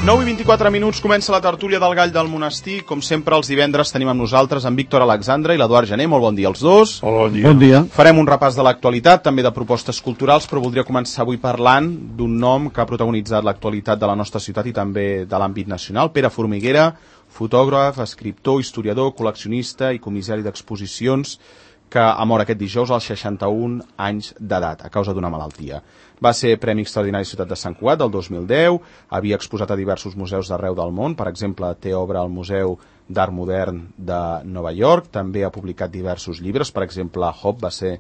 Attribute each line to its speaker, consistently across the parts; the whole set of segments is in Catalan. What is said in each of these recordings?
Speaker 1: 9:24 comença la tertúlia del Gall del Monestir. Com sempre, els divendres tenim amb nosaltres en Víctor Alexandre i l'Eduard Gené. Molt bon dia als dos.
Speaker 2: Hola, bon dia.
Speaker 3: Bon dia.
Speaker 1: Farem un repàs de l'actualitat, també de propostes culturals, però voldria començar avui parlant d'un nom que ha protagonitzat l'actualitat de la nostra ciutat i també de l'àmbit nacional. Pere Formiguera, fotògraf, escriptor, historiador, col·leccionista i comissari d'exposicions, que ha mort aquest dijous als 61 anys d'edat a causa d'una malaltia. Va ser Premi Extraordinari Ciutat de Sant Cugat del 2010, havia exposat a diversos museus d'arreu del món, per exemple, té obra al Museu d'Art Modern de Nova York, també ha publicat diversos llibres, per exemple, Hop va ser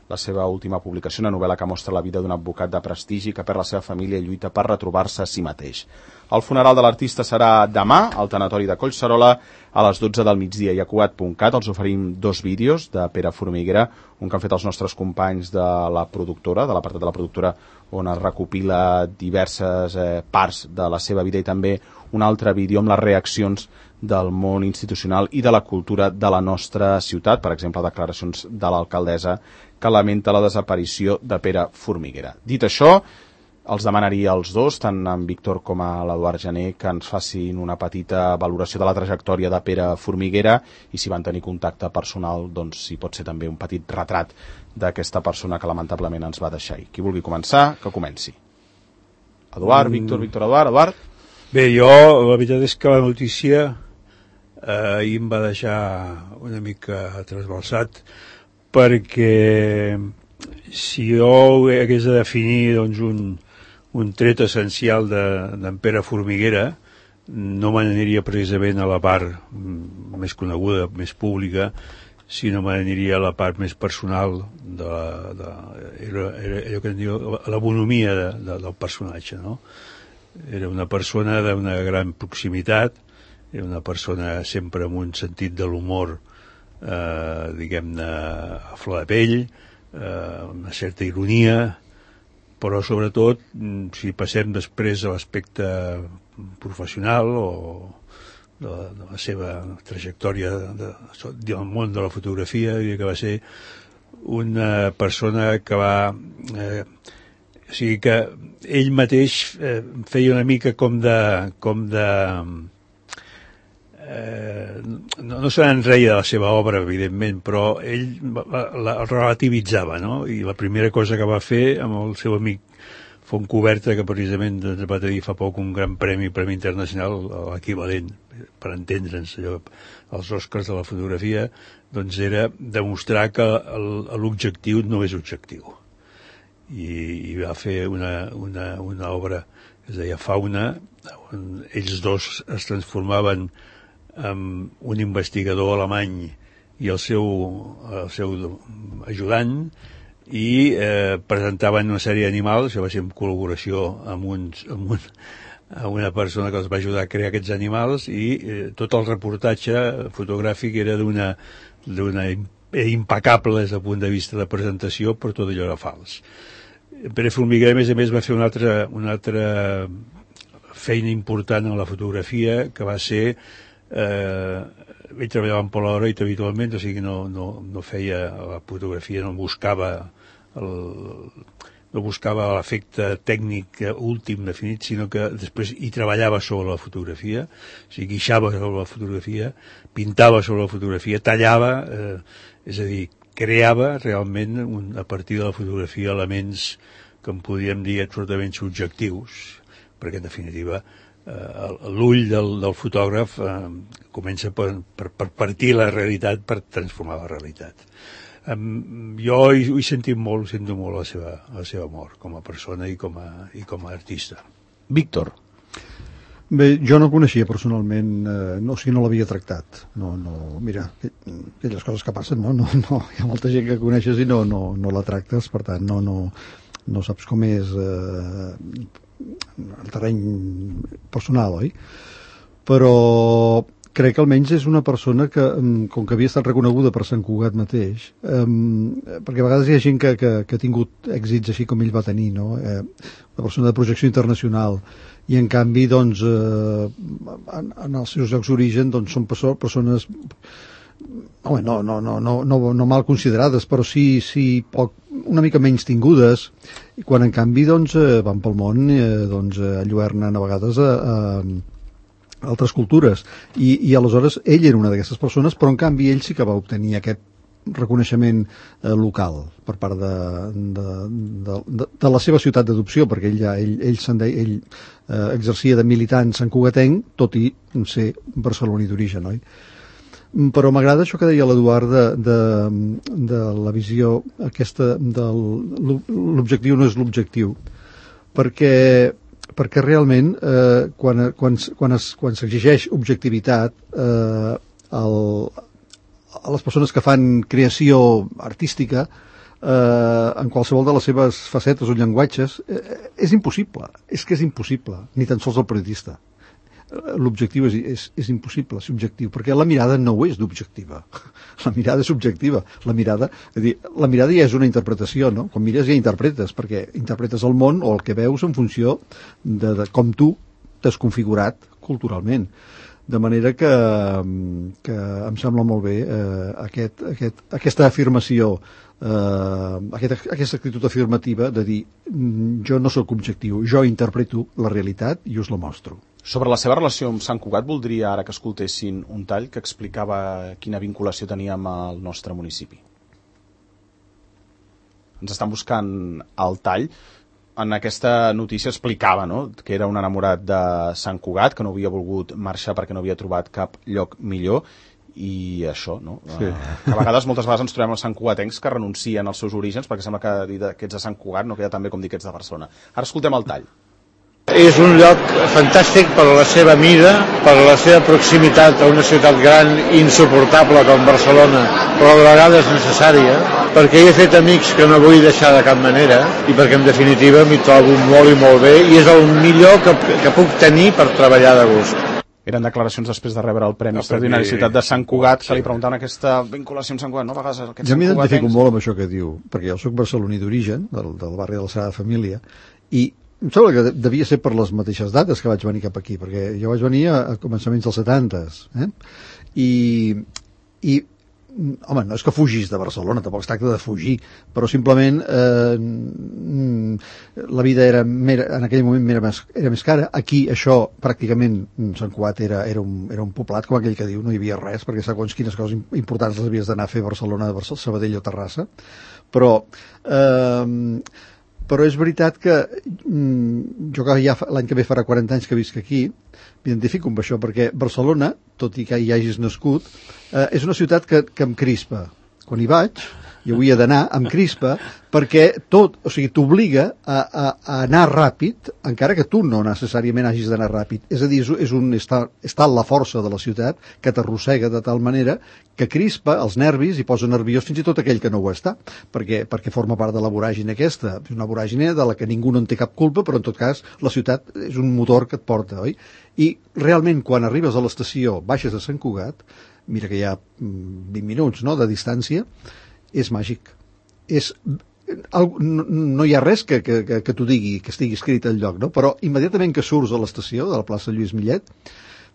Speaker 1: la seva última publicació, una novel·la que mostra la vida d'un advocat de prestigi que perd la seva família i lluita per retrobar-se a si mateix. El funeral de l'artista serà demà al tanatori de Collserola a les 12 del migdia i a Cugat.cat els oferim dos vídeos de Pere Formiguera, un que han fet els nostres companys de la productora, de l'apartat de la productora, on es recopila diverses parts de la seva vida, i també un altre vídeo amb les reaccions del món institucional i de la cultura de la nostra ciutat, per exemple, declaracions de l'alcaldessa que lamenta la desaparició de Pere Formiguera. Dit això, els demanaria als dos, tant en Víctor com a l'Eduard Gené, que ens facin una petita valoració de la trajectòria de Pere Formiguera i si van tenir contacte personal, doncs si pot ser també un petit retrat d'aquesta persona que lamentablement ens va deixar. Qui vulgui començar, que comenci. Eduard, Víctor, Eduard.
Speaker 2: Bé, jo, la veritat és que la notícia ahir em va deixar una mica trasbalsat, perquè si jo hagués de definir doncs, un tret essencial d'en Pere Formiguera, no me n'aniria precisament a la part més coneguda, més pública, sinó me n'aniria a la part més personal, era allò que en diu la bonomia del personatge, no? Era una persona d'una gran proximitat, era una persona sempre amb un sentit de l'humor, diguem-ne, a flor de pell, una certa ironia, però sobretot, si passem després a l'aspecte professional o de la seva trajectòria del món de la fotografia, diria que va ser una persona que va... o sigui que ell mateix feia una mica com de no se n'enreia de la seva obra, evidentment, però ell la relativitzava, no? I la primera cosa que va fer amb el seu amic Fontcoberta, que precisament ens va tenir fa poc un gran premi internacional, l'equivalent, per entendre'ns, els Oscars de la fotografia, doncs era demostrar que l'objectiu no és objectiu. I va fer una obra que es deia Fauna, on ells dos es transformaven amb un investigador alemany i el seu ajudant, i presentaven una sèrie d'animals. Això va ser en col·laboració amb una persona que els va ajudar a crear aquests animals, i tot el reportatge fotogràfic era d'una impecable des del punt de vista de presentació, però tot allò era fals. Pere Formiguera, a més, va fer una altra feina important en la fotografia, que va ser ell treballava en Polaroid habitualment, o sigui que no feia la fotografia, no buscava l'efecte tècnic últim definit, sinó que després hi treballava sobre la fotografia, o sigui, guixava sobre la fotografia, pintava sobre la fotografia, tallava, és a dir, creava realment a partir de la fotografia elements que en podríem dir absolutament subjectius, perquè en definitiva l'ull del fotògraf comença per partir la realitat per transformar la realitat. Jo ho sento molt la seva mort com a persona i com a artista.
Speaker 1: Víctor.
Speaker 3: Bé, jo no coneixia personalment, no l'havia tractat. Mira, aquelles coses que passen, no, hi ha molta gent que coneixes i no la tractes, per tant, no saps com és el terreny personal, oi? Però crec que almenys és una persona que, com que havia estat reconeguda per Sant Cugat mateix, perquè a vegades hi ha gent que ha tingut èxits així com ell va tenir, no? Una persona de projecció internacional, i en canvi, doncs, en els seus llocs d'origen, doncs, són persones home, no mal considerades, però sí una mica menys tingudes, i quan en canvi doncs, van pel món, enlluernen a vegades a altres cultures, i aleshores ell era una d'aquestes persones, però en canvi ell sí que va obtenir aquest reconeixement local per part de la seva ciutat d'adopció, perquè ell exercia de militant santcugatenc, tot i ser barceloní d'origen, oi? Però m'agrada això que deia l'Eduard de la visió aquesta l'objectiu no és l'objectiu, perquè realment quan s'exigeix objectivitat a les persones que fan creació artística en qualsevol de les seves facetes o llenguatges és impossible, és impossible, ni tan sols el periodista. L'objectiu és impossible ser objectiu, perquè la mirada no ho és d'objectiva, la mirada és subjectiva, la mirada ja és una interpretació, no? Quan mires ja interpretes, perquè interpretes el món o el que veus en funció de com tu t'has configurat culturalment. De manera que em sembla molt bé aquesta afirmació, aquesta actitud afirmativa de dir jo no sóc objectiu, jo interpreto la realitat i us la mostro.
Speaker 1: Sobre la seva relació amb Sant Cugat, voldria ara que escoltessin un tall que explicava quina vinculació tenia amb el nostre municipi. Ens estan buscant el tall. En aquesta notícia explicava, no?, que era un enamorat de Sant Cugat, que no havia volgut marxar perquè no havia trobat cap lloc millor, i això, no? Sí. Que a vegades, moltes vegades ens trobem els santcugatencs que renuncien als seus orígens perquè sembla que dir que ets de Sant Cugat no queda tan bé com dir que ets de Barcelona. Ara escoltem el tall.
Speaker 4: És un lloc fantàstic per la seva mida, per la seva proximitat a una ciutat gran i insuportable com Barcelona, però a la vegada és necessària, perquè hi he fet amics que no vull deixar de cap manera i perquè en definitiva m'hi trobo molt i molt bé i és el millor que puc tenir per treballar de gust.
Speaker 1: Eren declaracions després de rebre el Premi Extraordinari Ciutat de Sant Cugat, que li preguntaven aquesta vinculació amb Sant Cugat, no? A vegades aquests
Speaker 3: jo m'identifico molt amb això que diu, perquè jo soc barceloní d'origen, del barri de la Sagrada Família, i em sembla que devia ser per les mateixes dates que vaig venir cap aquí, perquè jo vaig venir a començaments dels 70s, i home, no és que fugis de Barcelona, tampoc es tracta de fugir, però simplement la vida en aquell moment era més cara. Aquí això pràcticament Sant Cugat era un poblat, com aquell que diu, no hi havia res, perquè segons quines coses importants les havies d'anar a fer a Barcelona, Sabadell o Terrassa, però és veritat que jo que ja l'any que ve farà 40 anys que visc aquí, m'identifico amb això, perquè Barcelona, tot i que hi hagis nascut, és una ciutat que em crispa. Quan hi vaig, i havia d'anar, em crispa, perquè t'obliga a anar ràpid, encara que tu no necessàriament hagis d'anar ràpid. És a dir, està la força de la ciutat que t'arrossega de tal manera que crispa els nervis i posa nerviós fins i tot aquell que no ho està, perquè forma part de la voràgine aquesta. És una voràgine de la que ningú no en té cap culpa, però en tot cas la ciutat és un motor que et porta, oi? I realment quan arribes a l'estació, baixes a Sant Cugat, mira que hi ha 20 minuts, no?, de distància, és màgic. No hi ha res que t'ho digui, que estigui escrit al lloc, no? Però immediatament que surts a l'estació de la plaça Lluís Millet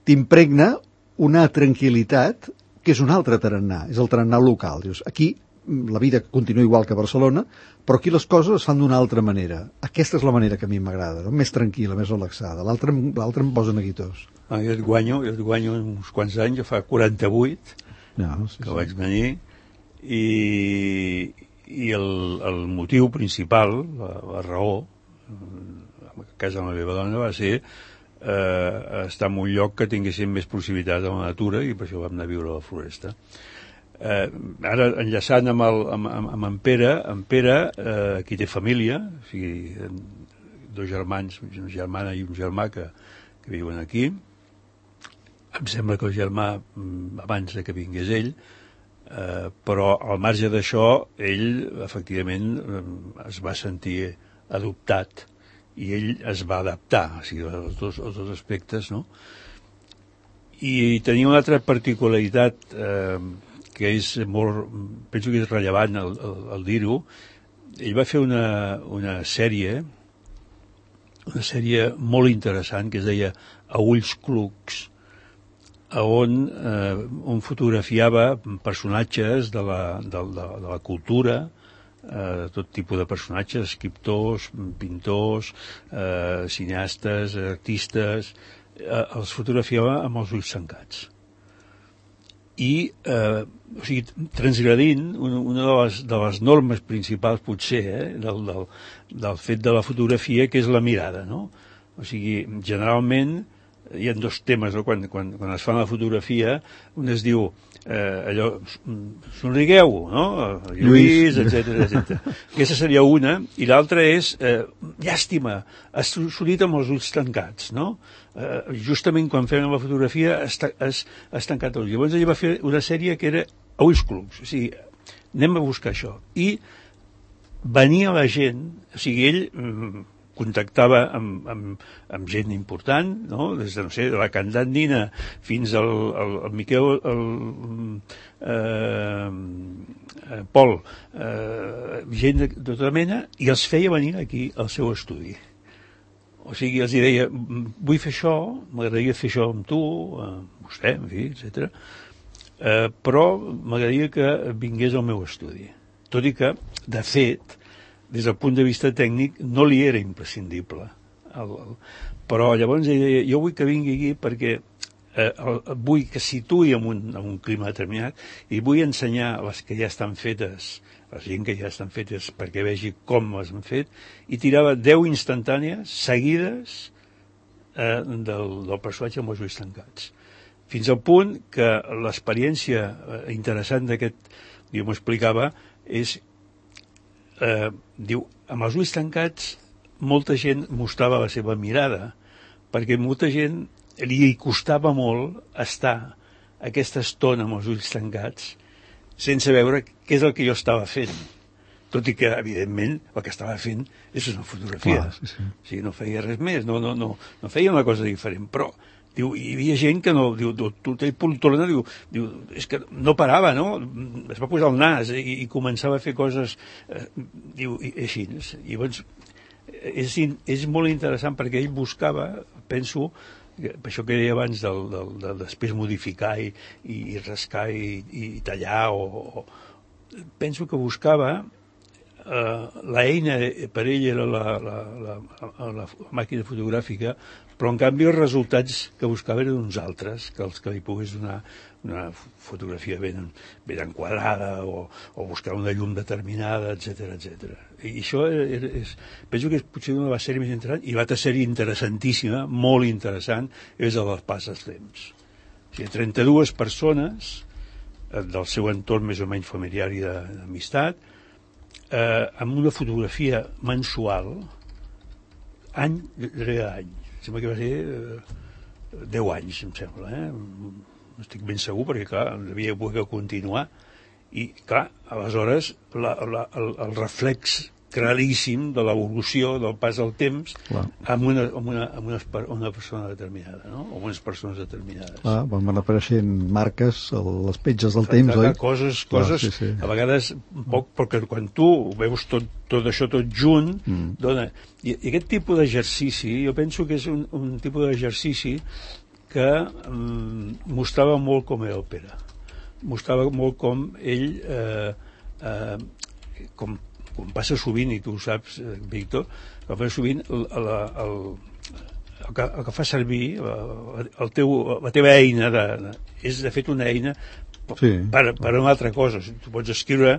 Speaker 3: t'impregna una tranquil·litat que és un altre tarannà, és el tarannà local. Dius, aquí la vida continua igual que a Barcelona, però aquí les coses es fan d'una altra manera. Aquesta és la manera que a mi m'agrada, no? Més tranquil·la, més relaxada. L'altra em posa neguitós.
Speaker 2: Jo et guanyo uns quants anys, jo fa 48 que vaig venir, i el motiu principal, la raó, a casa de la meva dona, va ser estar en un lloc que tinguéssim més proximitat a la natura, i per això vam anar a viure a la floresta. Ara, enllaçant amb en Pere, aquí té família, o sigui, dos germans, una germana i un germà que viuen aquí. Em sembla que el germà abans que vingués ell, però al marge d'això ell efectivament es va sentir adoptat i ell es va adaptar, o sigui, als dos aspectes, no? I tenia una altra particularitat que és penso que és rellevant el dir-ho. Ell va fer una sèrie molt interessant que es deia A ulls clucs, on fotografiava personatges de la cultura, tot tipus de personatges, escriptors, pintors, cineastes, artistes, els fotografiava amb els ulls tancats. I transgredint una de les normes principals, potser, del fet de la fotografia, que és la mirada, no? O sigui, generalment hi ha dos temes, no? Quan es fa la fotografia, un es diu allò, somrigueu, no? Lluís, etc. Aquesta seria una, i l'altra és llàstima, has sortit amb els ulls tancats, no? Justament quan fem la fotografia has tancat els ulls. Llavors ell va fer una sèrie que era a ulls clucs, o sigui, anem a buscar això. I venia la gent, o sigui, ell contactava amb gent important, no? Des de, no sé, de la Candandina fins al Miquel Pol, gent de tota mena, i els feia venir aquí al seu estudi. O sigui, els deia, vull fer això, m'agradaria fer això amb tu, amb vostè, en fi, etc. Però m'agradaria que vingués al meu estudi. Tot i que, de fet, des del punt de vista tècnic, no li era imprescindible. Però llavors ell deia, jo vull que vingui aquí perquè vull que situï en un clima determinat i vull ensenyar les que ja estan fetes, la gent que ja estan fetes perquè vegi com les han fet, i tirava 10 instantànies seguides del personatge amb els ulls tancats. Fins al punt que l'experiència interessant d'aquest, jo m'ho explicava, és diu, amb els ulls tancats molta gent mostrava la seva mirada, perquè molta gent li costava molt estar aquesta estona amb els ulls tancats sense veure què és el que jo estava fent, tot i que evidentment el que estava fent és una fotografia.
Speaker 3: Sí.
Speaker 2: O sigui, no feia res més, no feia una cosa diferent, però diu, hi havia gent que no, diu, Poltrona, diu, és que no parava, no? Es va posar el nas i començava a fer coses, diu, així. I llavors, és molt interessant perquè ell buscava, penso, per això que deia abans de després modificar i rascar i tallar, penso que buscava l'eina per ell era la màquina fotogràfica, però en canvi els resultats que buscava eren uns altres, que els que li pogués donar una fotografia ben enquadrada o buscar una llum determinada, etc. I això penso que és potser una de les sèries més interessants, i l'altra sèrie interessantíssima, molt interessant, és el del pas dels temps. O sigui, 32 persones del seu entorn més o menys familiar i d'amistat, amb una fotografia mensual, any rere any. Sembla que va ser 10 anys, em sembla, no estic ben segur, perquè, clar, havia poder continuar, i, clar, aleshores, el reflex claríssim de l'evolució del pas del temps amb una persona determinada, no? O unes persones determinades.
Speaker 3: Van apareixent marques a les petges del temps, oi?
Speaker 2: Coses sí. A vegades poc, perquè quan tu veus tot això tot junt, dona... I aquest tipus d'exercici, jo penso que és un tipus d'exercici que mostrava molt com era el Pere. Mostrava molt com ell, com passa sovint, i tu ho saps, Víctor, que passa sovint el que fa servir la teva eina és de fet una eina per una altra cosa. Tu pots escriure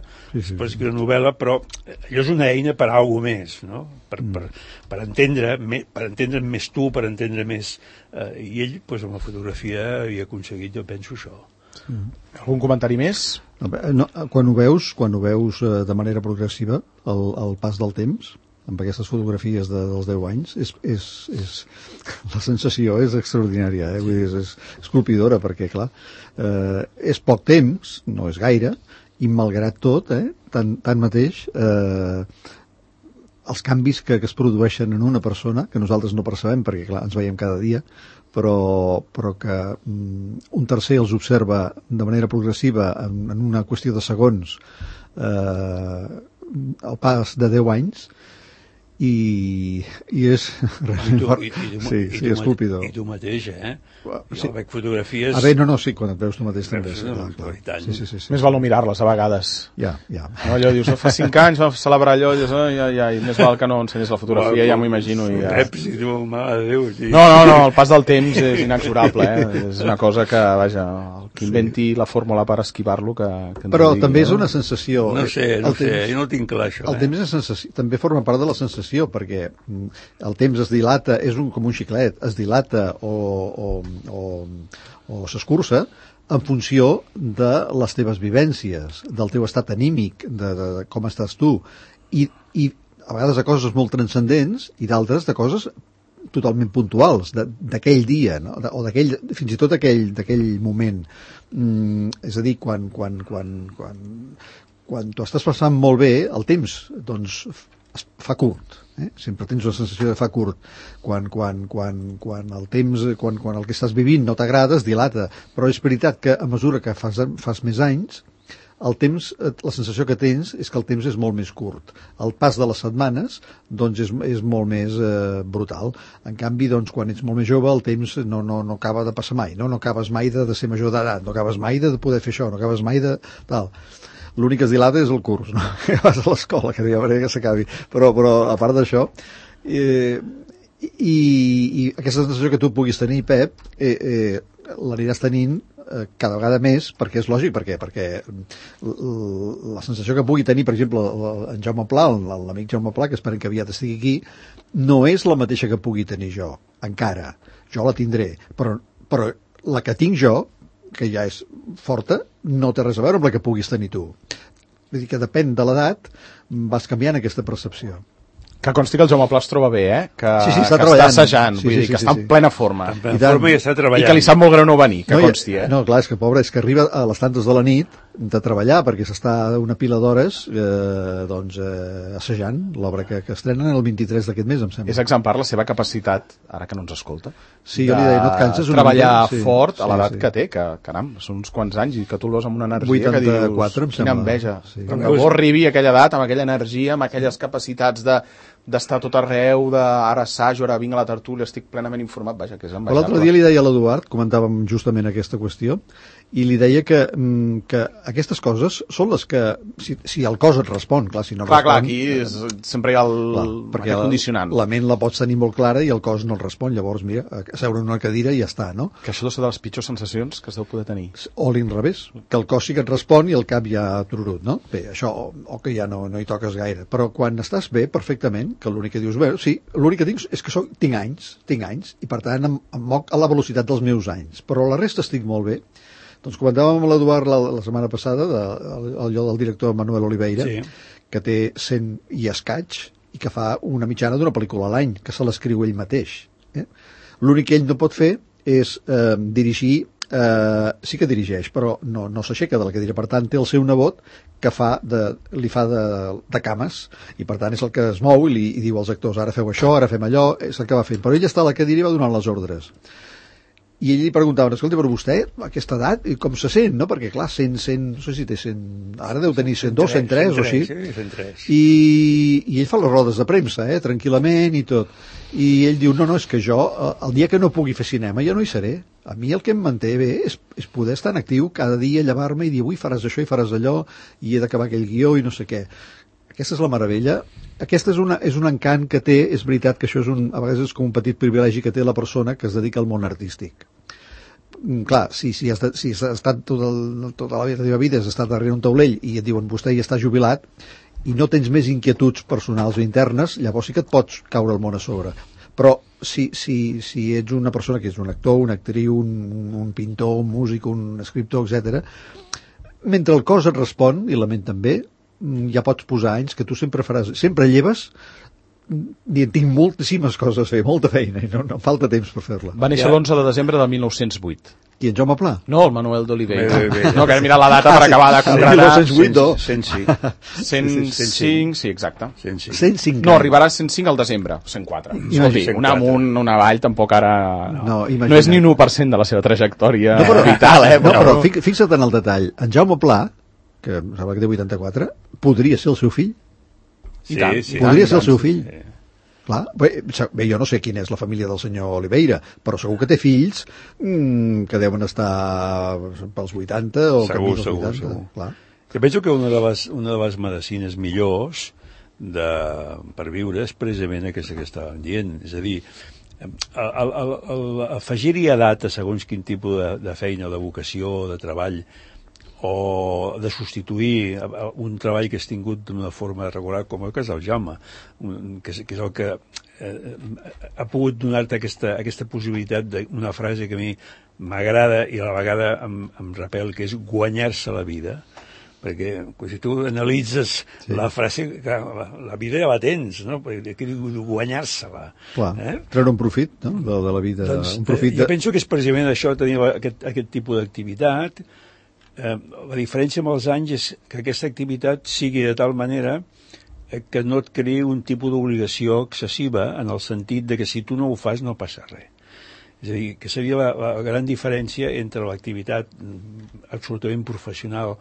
Speaker 2: novel·la, però allò és una eina per a alguna més, no? Per entendre més tu, per entendre més, i ell amb la fotografia havia aconseguit, jo penso, això.
Speaker 1: Algun comentari més?
Speaker 3: Quan ho veus de manera progressiva, el pas del temps, amb aquestes fotografies dels 10 anys, la sensació és extraordinària, vull dir, és colpidora, perquè, clar, és poc temps, no és gaire, i malgrat tot, tanmateix, els canvis que es produeixen en una persona, que nosaltres no percebem, perquè, clar, ens veiem cada dia, però que un tercer els observa de manera progressiva en una qüestió de segons el pas de 10 anys, i és realment fort. Sí, és colpidor.
Speaker 2: I tu mateix,
Speaker 3: Sí.
Speaker 2: Jo veig fotografies...
Speaker 3: No, sí, quan et veus tu mateix també.
Speaker 2: Sí.
Speaker 1: Més val no mirar-les a vegades.
Speaker 3: Ja.
Speaker 1: No, allò dius, fa 5 anys vam celebrar allò, i dius, i més val que no ensenyes la fotografia, ja m'ho imagino.
Speaker 2: Peps, i tu, mare de Déu. Sí.
Speaker 1: No, el pas del temps és inexorable, És una cosa que, vaja, el que inventi la fórmula per esquivar-lo, que
Speaker 3: però també és una sensació.
Speaker 2: No sé, jo no tinc clar això.
Speaker 3: El temps és sensació, també forma part de la sensació, perquè el temps es dilata, és com un xiclet, es dilata o s'escurça en funció de les teves vivències, del teu estat anímic, de com estàs tu, i a vegades de coses molt transcendents i d'altres de coses totalment puntuals d'aquell dia, no? O fins i tot d'aquell moment. És a dir, quan tu estàs passant molt bé, el temps doncs es fa curt. Sempre tens la sensació de fa curt. Quan el temps, quan el que estàs vivint no t'agrada, es dilata. Però és veritat que a mesura que fas més anys, el temps, la sensació que tens és que el temps és molt més curt. El pas de les setmanes doncs és molt més brutal. En canvi, doncs, quan ets molt més jove, el temps no acaba de passar mai. No acabes mai de ser major d'edat, no acabes mai de poder fer això, no acabes mai de tal. L'únic que es dilata és el curs, no? Que vas a l'escola, que ja veuré que s'acabi. Però a part d'això, i aquesta sensació que tu puguis tenir, Pep, l'aniràs tenint cada vegada més, perquè és lògic, perquè la sensació que pugui tenir, per exemple, en Jaume Pla, l'amic Jaume Pla, que esperem que aviat estigui aquí, no és la mateixa que pugui tenir jo, encara. Jo la tindré, però la que tinc jo, que ja és forta, no té res a veure amb la que puguis tenir tu. Vull dir que depèn de l'edat, vas canviant aquesta percepció.
Speaker 1: Que consti que el Jaume Pla es troba bé, que
Speaker 3: està
Speaker 1: està assajant, vull dir que està en plena forma.
Speaker 2: En plena forma i està treballant.
Speaker 1: I que li sap molt greu no venir, que consti,
Speaker 3: No, clar, és que pobre, és que arriba a les tantes de la nit de treballar, perquè s'està una pila d'hores assajant l'obra que estrenen el 23 d'aquest mes, em sembla.
Speaker 1: És exemplar la seva capacitat, ara que no ens escolta,
Speaker 3: sí, jo li deia, no et canses
Speaker 1: treballar fort a l'edat que té, que caram, són uns quants anys i que tu el veus amb una energia
Speaker 3: 84,
Speaker 1: que dius, quina enveja. Que bo arribi a aquella edat, amb aquella energia, amb aquelles capacitats d'estar tot arreu, ara assajo, ara vinc a la tertúlia, estic plenament informat, vaja, que és envejable.
Speaker 3: L'altre dia li deia a l'Eduard, comentàvem justament aquesta qüestió, i li deia que aquestes coses són les que, si el cos et respon, clar, si no respon...
Speaker 1: Clar, aquí sempre hi ha aquest condicionant.
Speaker 3: La ment la pots tenir molt clara i el cos no et respon, llavors, mira, asseure en una cadira i ja està, no?
Speaker 1: Que això deu ser de les pitjors sensacions que es deu poder tenir.
Speaker 3: O l'inrevés, que el cos sí que et respon i el cap ja tururut, no? Bé, això, o que ja no hi toques gaire, però quan estàs bé, perfectament, que l'únic que dius, bé, sí, l'únic que tinc és que tinc anys, i per tant em moc a la velocitat dels meus anys, però la resta estic molt bé. Doncs comentàvem amb l'Eduard la setmana passada allò del director Manuel Oliveira, que té 100 i escaig i que fa una mitjana d'una pel·lícula a l'any, que se l'escriu ell mateix. L'únic que ell no pot fer és dirigir, sí que dirigeix, però no s'aixeca de la cadira. Per tant, té el seu nebot que li fa de cames, i per tant és el que es mou i diu als actors, ara feu això, ara fem allò, és el que va fent. Però ell està a la cadira i va donant les ordres. I ell li preguntava, escolta, però vostè, a aquesta edat, com se sent, no? Perquè, clar, 100, no sé si té 100... Ara deu tenir 102, 103 o així.
Speaker 2: Sí, 103.
Speaker 3: I ell fa les rodes de premsa, tranquil·lament i tot. I ell diu, no, és que jo, el dia que no pugui fer cinema, ja no hi seré. A mi el que em manté bé és poder estar en actiu cada dia, llevar-me i dir, avui faràs això i faràs allò, i he d'acabar aquell guió i no sé què. Aquesta és la meravella. Aquesta és un encant que té, és veritat que això a vegades és com un petit privilegi que té la persona que es dedica al món artístic. Clar, si has estat tota la teva vida has estat darrere un taulell i et diuen vostè ja està jubilat i no tens més inquietuds personals o internes, llavors sí que et pots caure el món a sobre. Però si ets una persona que és un actor, una actriu, un pintor, un músic, un escriptor, etc., mentre el cos et respon, i la ment també, ja pots posar anys que tu sempre lleves i tinc moltíssimes coses a fer, molta feina i no em falta temps per fer-la.
Speaker 1: Va néixer l'11 de desembre de 1908.
Speaker 3: I en Jaume Pla?
Speaker 1: No, el Manuel d'Oliveira. No, que mira la data per acabar de concretar.
Speaker 3: 1908,
Speaker 1: 105, sí, exacte.
Speaker 3: 105.
Speaker 1: No, arribarà a 105 al desembre, 104. Escolti, una amunt, una avall, tampoc ara... No és ni un 1% de la seva trajectòria vital,
Speaker 3: però fixa't en el detall. En Jaume Pla, que em sembla que té 84, podria ser el seu fill?
Speaker 2: Sí.
Speaker 3: Podria ser el seu fill? Clar, bé, jo no sé quina és la família del senyor Oliveira, però segur que té fills que deuen estar pels 80 o
Speaker 2: segur,
Speaker 3: camí dels 80.
Speaker 2: Segur.
Speaker 3: Clar.
Speaker 2: Jo penso que una de les medicines millors per viure és precisament aquesta que estàvem dient, és a dir, afegir-hi edat a segons quin tipus de feina, de vocació, de treball, o de substituir un treball que has tingut d'una forma regular, com el cas del Jaume, que és el que ha pogut donar-te aquesta possibilitat d'una frase que a mi m'agrada i a la vegada em repel, que és guanyar-se la vida, perquè si tu analitzes la frase, la vida ja la tens, no? Perquè guanyar-se-la.
Speaker 3: Clar, treure un profit, no?, de la vida.
Speaker 2: Doncs,
Speaker 3: un profit
Speaker 2: jo penso que és precisament això, tenir aquest tipus d'activitat. La diferència amb els anys és que aquesta activitat sigui de tal manera que no et creï un tipus d'obligació excessiva, en el sentit de que si tu no ho fas no passa res. És a dir, que seria la gran diferència entre l'activitat absolutament professional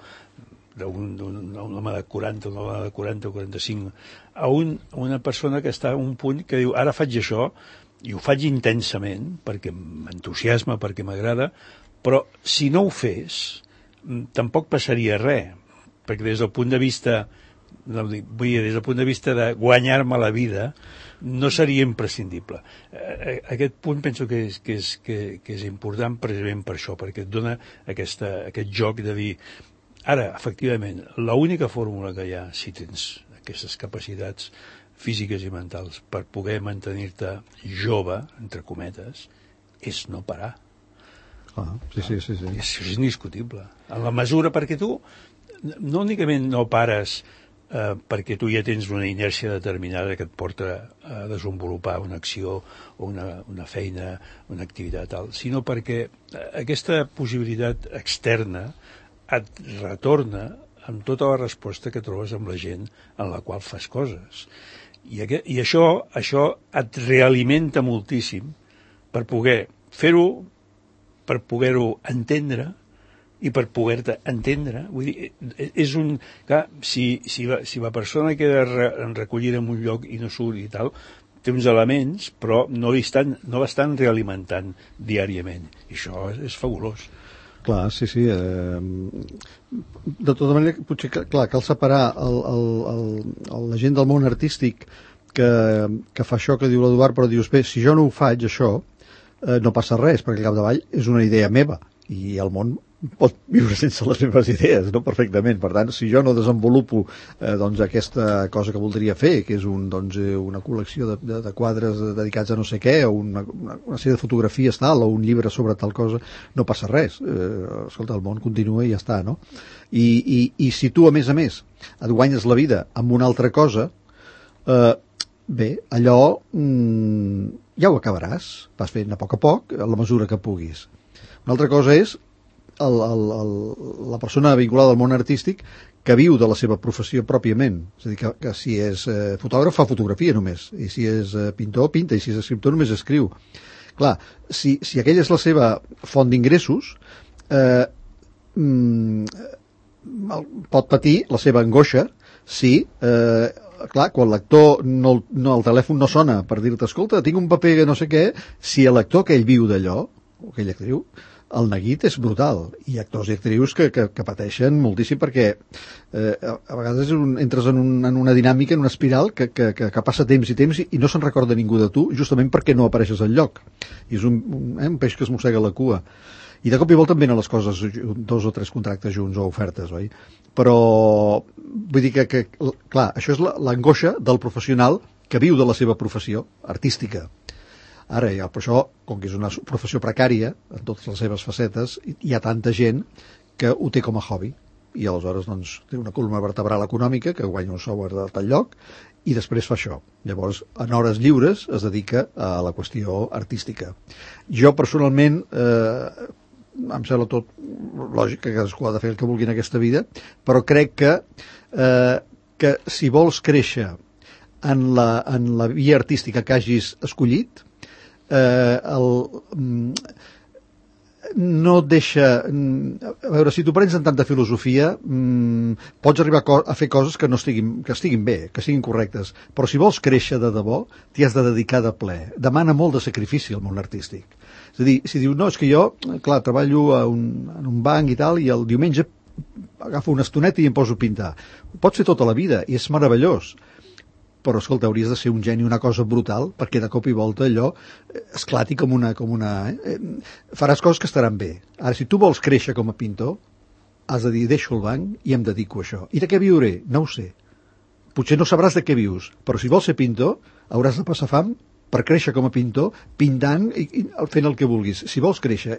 Speaker 2: d'un home de 40, una dona de 40 o 45, a una persona que està a un punt que diu, ara faig això, i ho faig intensament, perquè m'entusiasma, perquè m'agrada, però si no ho fes, tampoc passaria res, perquè des del punt de vista de guanyar-me la vida no seria imprescindible. Aquest punt penso que és important precisament per això, perquè et dona aquest joc de dir, ara, efectivament, l'única fórmula que hi ha, si tens aquestes capacitats físiques i mentals per poder mantenir-te jove, entre cometes, és no parar.
Speaker 3: Sí.
Speaker 2: És indiscutible. En la mesura perquè tu no únicament no pares perquè tu ja tens una inèrcia determinada que et porta a desenvolupar una acció o una feina, una activitat tal, sinó perquè aquesta possibilitat externa et retorna amb tota la resposta que trobes amb la gent en la qual fas coses. I això et realimenta moltíssim per poder fer-ho, per poder-ho entendre i per poder-te entendre. Vull dir, és un... Clar, si la persona queda recollida en un lloc i no surt i tal, té uns elements, però no l'estan realimentant diàriament. I això és fabulós.
Speaker 3: Clar, sí. De tota manera, potser cal separar la gent del món artístic que fa això que diu l'Eduard, però dius, bé, si jo no ho faig, això, no passa res, perquè al capdavall és una idea meva i el món pot viure sense les meves idees, no? Perfectament. Per tant, si jo no desenvolupo aquesta cosa que voldria fer, que és una col·lecció de quadres dedicats a no sé què, o una sèrie de fotografies tal, o un llibre sobre tal cosa, no passa res. Escolta, el món continua i ja està, no? I si tu, a més, et guanyes la vida amb una altra cosa, bé, allò ja ho acabaràs, vas fent a poc, a la mesura que puguis. Una altra cosa és la persona vinculada al món artístic que viu de la seva professió pròpiament. És a dir, que si és fotògraf fa fotografia només, i si és pintor pinta, i si és escriptor només escriu. Clar, si aquella és la seva font d'ingressos, pot patir la seva angoixa si... clar, quan l'actor el telèfon no sona per dir-te, escolta, tinc un paper que no sé què, si l'actor aquell viu d'allò, o aquella actriu, el neguit és brutal, i actors i actrius que pateixen moltíssim perquè a vegades entres en una dinàmica, en una espiral que passa temps i no se'n recorda ningú de tu, justament perquè no apareixes al lloc, i és un peix que es mossega la cua. I de cop i volta em venen les coses, 2 o 3 contractes junts o ofertes, oi? Però vull dir que clar, això és l'angoixa del professional que viu de la seva professió artística. Ara, per això, com que és una professió precària, en totes les seves facetes, hi ha tanta gent que ho té com a hobby. I aleshores té una columna vertebral econòmica que guanya un sou de tal lloc i després fa això. Llavors, en hores lliures es dedica a la qüestió artística. Jo, personalment... em sembla tot lògic que cadascú ha de fer el que vulgui en aquesta vida, però crec que si vols créixer en la via artística que hagis escollit, no no et deixa... A veure, si t'ho prens en tanta filosofia, pots arribar a fer coses que estiguin bé, que siguin correctes, però si vols créixer de debò, t'hi has de dedicar de ple. Demana molt de sacrifici al món artístic. És a dir, si dius, no, és que jo, clar, treballo en un banc i tal, i el diumenge agafo una estoneta i em poso a pintar. Ho pots fer tota la vida, i és meravellós. Però, escolta, hauries de ser un geni, una cosa brutal, perquè de cop i volta allò esclati com una... Faràs coses que estaran bé. Ara, si tu vols créixer com a pintor, has de dir, deixo el banc i em dedico a això. I de què viuré? No ho sé. Potser no sabràs de què vius, però si vols ser pintor, hauràs de passar fam per créixer com a pintor, pintant i fent el que vulguis. Si vols créixer...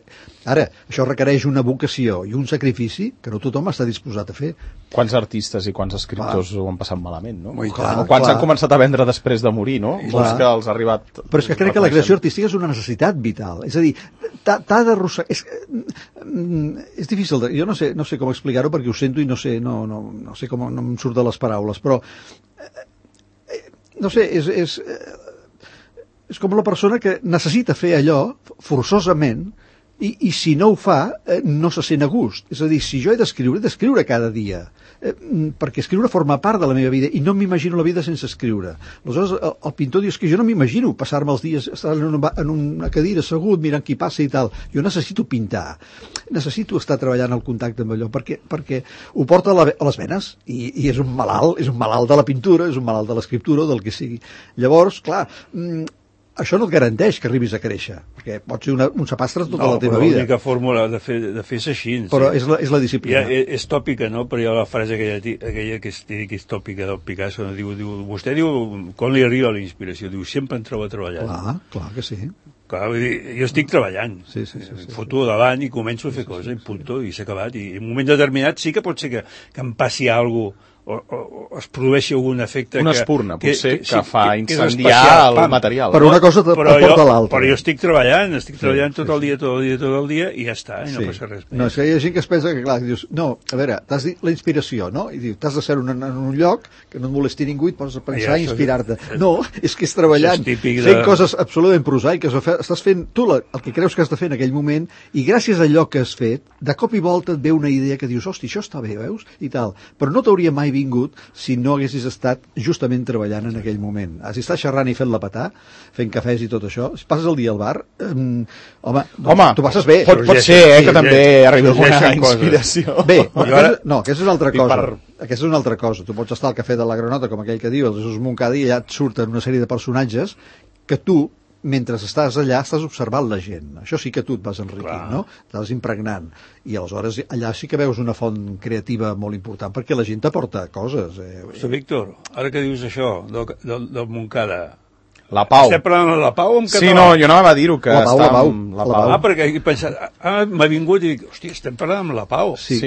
Speaker 3: Ara, això requereix una vocació i un sacrifici que no tothom està disposat a fer.
Speaker 1: Quants artistes i quants escriptors ho han passat malament, no?
Speaker 3: Clar,
Speaker 1: quants han començat a vendre després de morir, no? Molts que els ha arribat...
Speaker 3: Però és que crec que la creació artística és una necessitat vital. És a dir, t'ha d'arrossegar... És difícil, jo no sé com explicar-ho perquè ho sento i no sé com no em surt de les paraules, però no sé, és com la persona que necessita fer allò forçosament i si no ho fa no se sent a gust. És a dir, si jo he d'escriure cada dia, perquè escriure forma part de la meva vida i no m'imagino la vida sense escriure. Aleshores el pintor diu que jo no m'imagino passar-me els dies estar en una cadira assegut mirant qui passa i tal. Jo necessito pintar, necessito estar treballant al contacte amb allò perquè ho porta a les venes i és un malalt de la pintura, és un malalt de l'escriptura o del que sigui. Llavors, clar, això no et garanteix que arribis a créixer, perquè pot ser un sapastre tota la teva vida.
Speaker 2: L'única fórmula de fer és així.
Speaker 3: Però és la disciplina.
Speaker 2: És tòpica, no? Però hi ha la frase aquella que és tòpica del Picasso. Vostè diu, quan li arriba la inspiració? Diu, sempre em trobo treballant.
Speaker 3: Clar que sí.
Speaker 2: Clar, vull dir, jo estic treballant.
Speaker 3: Sí.
Speaker 2: Foto davant i començo a fer coses, i punto, i s'ha acabat. I en un moment determinat sí que pot ser que em passi alguna cosa o es produeixi algun efecte
Speaker 1: una espurna, potser, que fa incendiar el material.
Speaker 3: Però una cosa porta a l'altra.
Speaker 2: Però jo estic treballant tot el dia i ja està, i no passa res.
Speaker 3: No, és que hi ha gent que es pensa que, clar, dius, no, a veure, t'has dit la inspiració, no? I dius, t'has de ser en un lloc que no et molesti ningú i et poses a pensar i inspirar-te. No, és que és treballant, fent coses absolutament prosaiques, estàs fent tu el que creus que has de fer en aquell moment i gràcies a allò que has fet, de cop i volta et ve una idea que dius, hosti, això està bé, veus? I tal. Però no t'hauria mai vingut si no haguessis estat justament treballant en aquell moment. Si estàs xerrant i fent-la petar, fent cafès i tot això, si passes el dia al bar, home, tu passes bé.
Speaker 1: Pot ser, que també arribi alguna inspiració.
Speaker 3: Bé, aquesta és una altra cosa. Aquesta és una altra cosa. Tu pots estar al cafè de la Granota, com aquell que diu, el Jesús Moncada, i allà et surten una sèrie de personatges que tu, mentre estàs allà, estàs observant la gent. Això sí que tu et vas enriquint, no? T'estàs impregnant. I aleshores allà sí que veus una font creativa molt important, perquè la gent t'aporta coses.
Speaker 2: Víctor, ara que dius això, del Moncada,
Speaker 1: la Pau.
Speaker 2: Estem parlant de la Pau en català?
Speaker 1: Sí, no, jo no va dir-ho, que
Speaker 3: està
Speaker 1: amb la Pau.
Speaker 2: Perquè he pensat, m'ha vingut i dic, hòstia, estem parlant amb la Pau.
Speaker 3: Sí.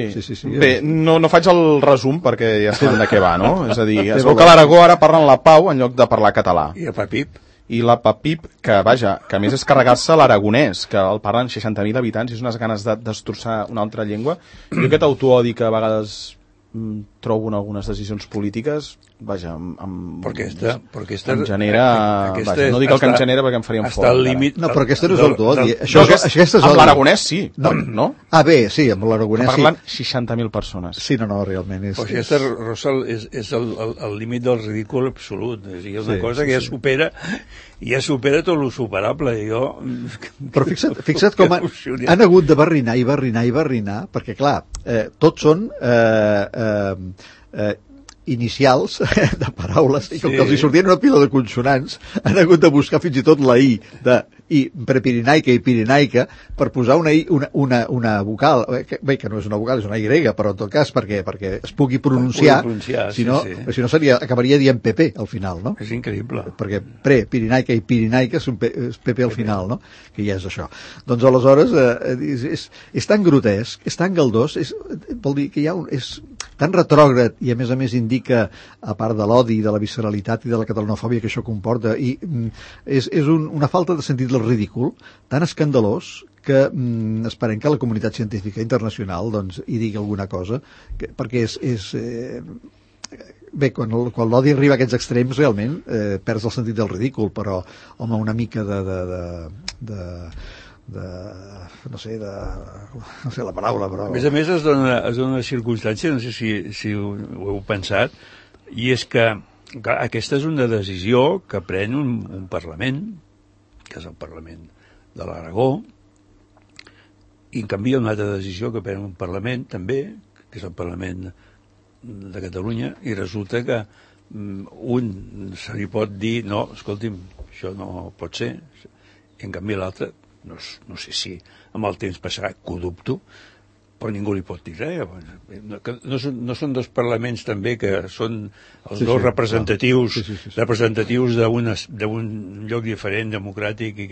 Speaker 1: Bé, no faig el resum perquè ja sabem de què va, no? És a dir, es veu que a l'Aragó ara parlen la Pau en lloc de parlar català.
Speaker 2: I el Pepip?
Speaker 1: I la Pepip, que vaja, que a més és carregar-se l'aragonès, que el parlen 60.000 habitants i és unes ganes de destrossar una altra llengua. Jo aquest autoodi que a vegades trobo en algunes decisions polítiques, vaja, em genera... Vaja, no dic el que em genera perquè em faria un fort.
Speaker 3: No, però aquesta no és autoodi.
Speaker 1: Amb l'aragonès sí, no?
Speaker 3: Ah, bé, sí, amb l'aragonès sí.
Speaker 1: Parlen 60.000 persones.
Speaker 3: Sí, no, realment és...
Speaker 2: Però aquesta, Rosa, és el límit del ridícul absolut. És una cosa que ja supera tot lo superable.
Speaker 3: Però fixa't com han hagut de barrinar, perquè clar, tots són inicials de paraules i com que els hi sortien una pila de consonants han hagut de buscar fins i tot la I de prepirinaica i pirinaica per posar una vocal, bé, que no és una vocal, és una Y, però en tot cas perquè es pugui pronunciar, si no acabaria dient PP al final, no?
Speaker 2: És increïble.
Speaker 3: Perquè pirinaica i pirinaica és PP al final, no? Que ja és això. Doncs aleshores és tan grotesc, és tan galdós, vol dir que és tan retrògrad i a més indica, a part de l'odi, de la visceralitat i de la catalanofòbia que això comporta, i és una falta de sentit del ridícul tan escandalós que esperem que la comunitat científica internacional hi digui alguna cosa, perquè bé, quan l'odi arriba a aquests extrems realment perds el sentit del ridícul, però home, una mica no sé la paraula, però...
Speaker 2: A més es dona una circumstància, no sé si ho heu pensat, i és que clar, aquesta és una decisió que pren un Parlament, que és el Parlament de l'Aragó, i en canvi una altra decisió que pren un Parlament també, que és el Parlament de Catalunya, i resulta que un se li pot dir no, escolti'm, això no pot ser, i en canvi l'altre no sé si amb el temps passarà, que ho dubto, però ningú li pot dir res. No són dos parlaments també que són els dos representatius representatius d'un lloc diferent, democràtic, i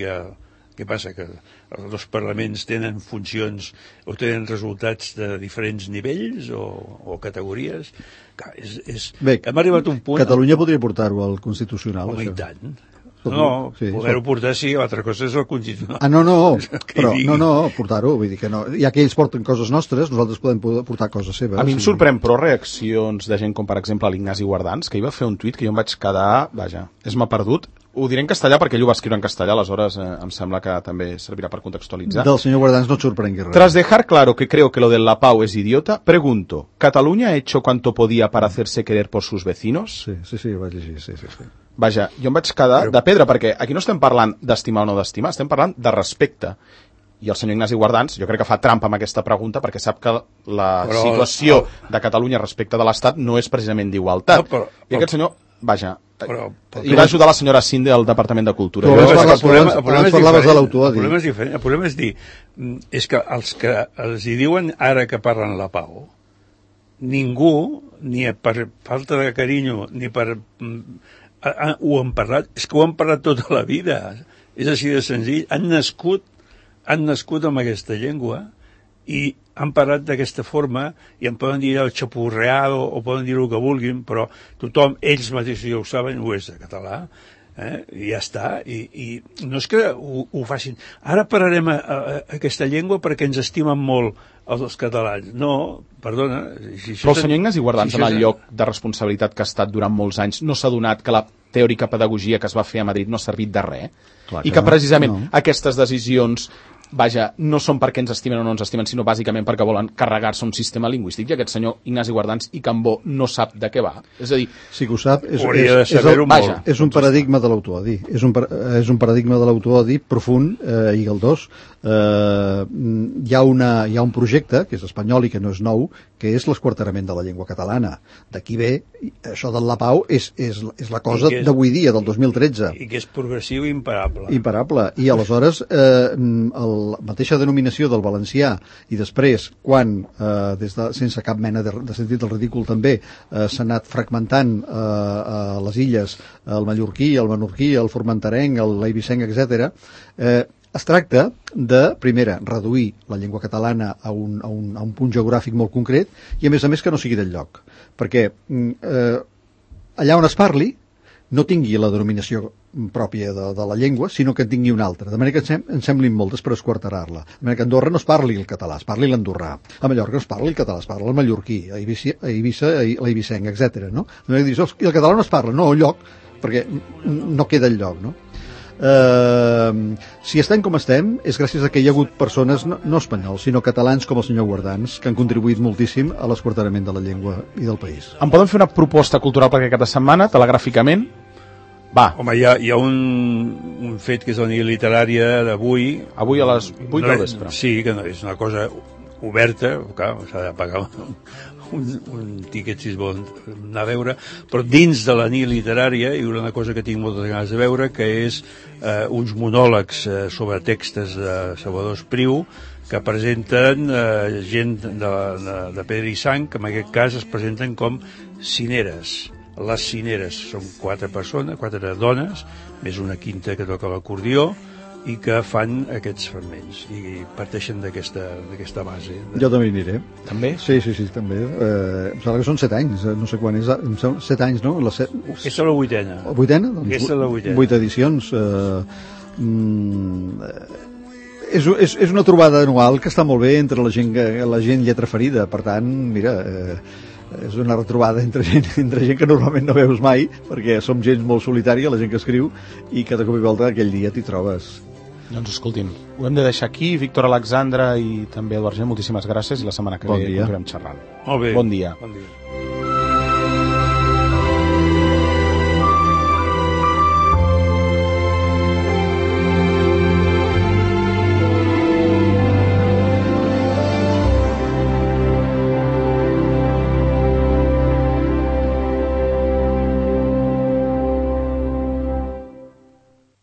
Speaker 2: què passa? Que els dos parlaments tenen funcions o tenen resultats de diferents nivells o categories?
Speaker 3: Bé,
Speaker 2: hem arribat a un punt...
Speaker 3: Catalunya podria portar-ho al Constitucional,
Speaker 2: home,
Speaker 3: això.
Speaker 2: I tant. No, poder-ho portar sí, l'altra cosa és el Constitucional.
Speaker 3: Portar-ho, vull dir que no. Ja que ells porten coses nostres, nosaltres podem portar coses seves.
Speaker 1: A mi em sorprèn, però, reaccions de gent com, per exemple, l'Ignasi Guardans, que hi va fer un tuit que jo em vaig quedar... Vaja, m'ha perdut. Ho diré en castellà perquè ell ho va escriure en castellà, aleshores em sembla que també servirà per contextualitzar.
Speaker 3: Del senyor Guardans no et sorprengui res.
Speaker 1: Tras dejar claro que creo que lo del Lapao es idiota, pregunto, ¿Cataluña ha hecho cuanto podía para hacerse querer por sus vecinos?
Speaker 3: Sí, ho vaig llegir, sí.
Speaker 1: Vaja, jo em vaig quedar de pedra, perquè aquí no estem parlant d'estimar o no d'estimar, estem parlant de respecte. I el senyor Ignasi Guardans, jo crec que fa trampa amb aquesta pregunta, perquè sap que la situació de Catalunya respecte de l'Estat no és precisament d'igualtat. I aquest senyor, vaja... I va ajudar la senyora Sinde al Departament de Cultura.
Speaker 3: Abans parlaves de l'autoodi.
Speaker 2: El problema és diferent. El problema és dir, és que els que els hi diuen ara que parlen la pau, ningú, ni per falta de carinyo, ni per... ho han parlat, és que ho han parlat tota la vida. És així de senzill. Han nascut amb aquesta llengua i han parlat d'aquesta forma i en poden dir el xapurreado o poden dir el que vulguin, però tothom, ells mateixos ja ho saben, ho és de català, i ja està, i no és que ho facin. Ara parlarem aquesta llengua perquè ens estimen molt els catalans. No, perdona...
Speaker 1: Però el senyor Ignasi Guardans, en el lloc de responsabilitat que ha estat durant molts anys, no s'ha donat que la teòrica pedagogia que es va fer a Madrid no ha servit de res? I que precisament aquestes decisions... Vaja, no són perquè ens estimen o no ens estimen, sinó bàsicament perquè volen carregar-se un sistema lingüístic, i aquest senyor Ignasi Guardans i Cambó no sap de què va. És a dir...
Speaker 3: Sí que ho sap, és un paradigma de l'autoodi. És un paradigma de l'autoodi profund i galdós. Hi ha un projecte, que és espanyol i que no és nou, que és l'esquarterament de la llengua catalana. D'aquí ve, això del Lapao és la cosa d'avui dia, del 2013.
Speaker 2: I que és progressiu i imparable.
Speaker 3: Imparable. I aleshores, la mateixa denominació del valencià, i després, quan, sense cap mena de sentit del ridícul també, s'ha anat fragmentant a les illes, el mallorquí, el menorquí, el formenterenc, l'eivissenc, etc., es tracta de, primera, reduir la llengua catalana a un punt geogràfic molt concret i, a més, que no sigui del lloc. Perquè allà on es parli no tingui la denominació pròpia de la llengua, sinó que en tingui una altra. De manera que en semblin moltes per esquarterar-la. De manera que a Andorra no es parli el català, es parli l'andorrà. A Mallorca no es parli el català, es parla el mallorquí, a Eivissa l'eivissenc, etc. No? De manera que dius, i el català no es parla, no, el lloc, perquè no queda el lloc, no? Si estem com estem és gràcies a que hi ha hagut persones no espanyols, sinó catalans com el senyor Guardans, que han contribuït moltíssim a l'esquarterament de la llengua i del país.
Speaker 1: Em poden fer una proposta cultural per aquesta setmana, telegràficament? Va.
Speaker 2: Home, hi ha un fet que és la nit literària d'avui.
Speaker 1: Avui a les 8 del vespre.
Speaker 2: Sí, que no, és una cosa oberta, clar, s'ha de pagar un tiquet si es vol anar a veure, però dins de la nit literària hi haurà una cosa que tinc moltes ganes de veure, que és uns monòlegs sobre textos de Salvador Espriu que presenten gent de pedra i sang, que en aquest cas es presenten com cineres. Les cineres són 4 persones, 4 dones, més una quinta que toca l'acordió, i que fan aquests fragments i parteixen d'aquesta base.
Speaker 3: Jo també hi aniré.
Speaker 1: També?
Speaker 3: Sí, també. Em sembla que són 7 anys, no sé quan és. 7 anys, no?
Speaker 2: Aquesta és la 8a.
Speaker 3: 8a?
Speaker 2: Aquesta és la 8a.
Speaker 3: 8 edicions. És una trobada anual que està molt bé entre la gent lletra ferida. Per tant, mira... és una retrobada entre gent que normalment no veus mai, perquè som gent molt solitària, la gent que escriu, i que de cop i volta aquell dia t'hi trobes.
Speaker 1: Doncs escoltin, ho hem de deixar aquí. Víctor Alexandre i també Eduard Giner, moltíssimes gràcies i la setmana que ve continuem xerrant.
Speaker 2: Molt bé.
Speaker 1: Bon dia.
Speaker 2: Bon dia.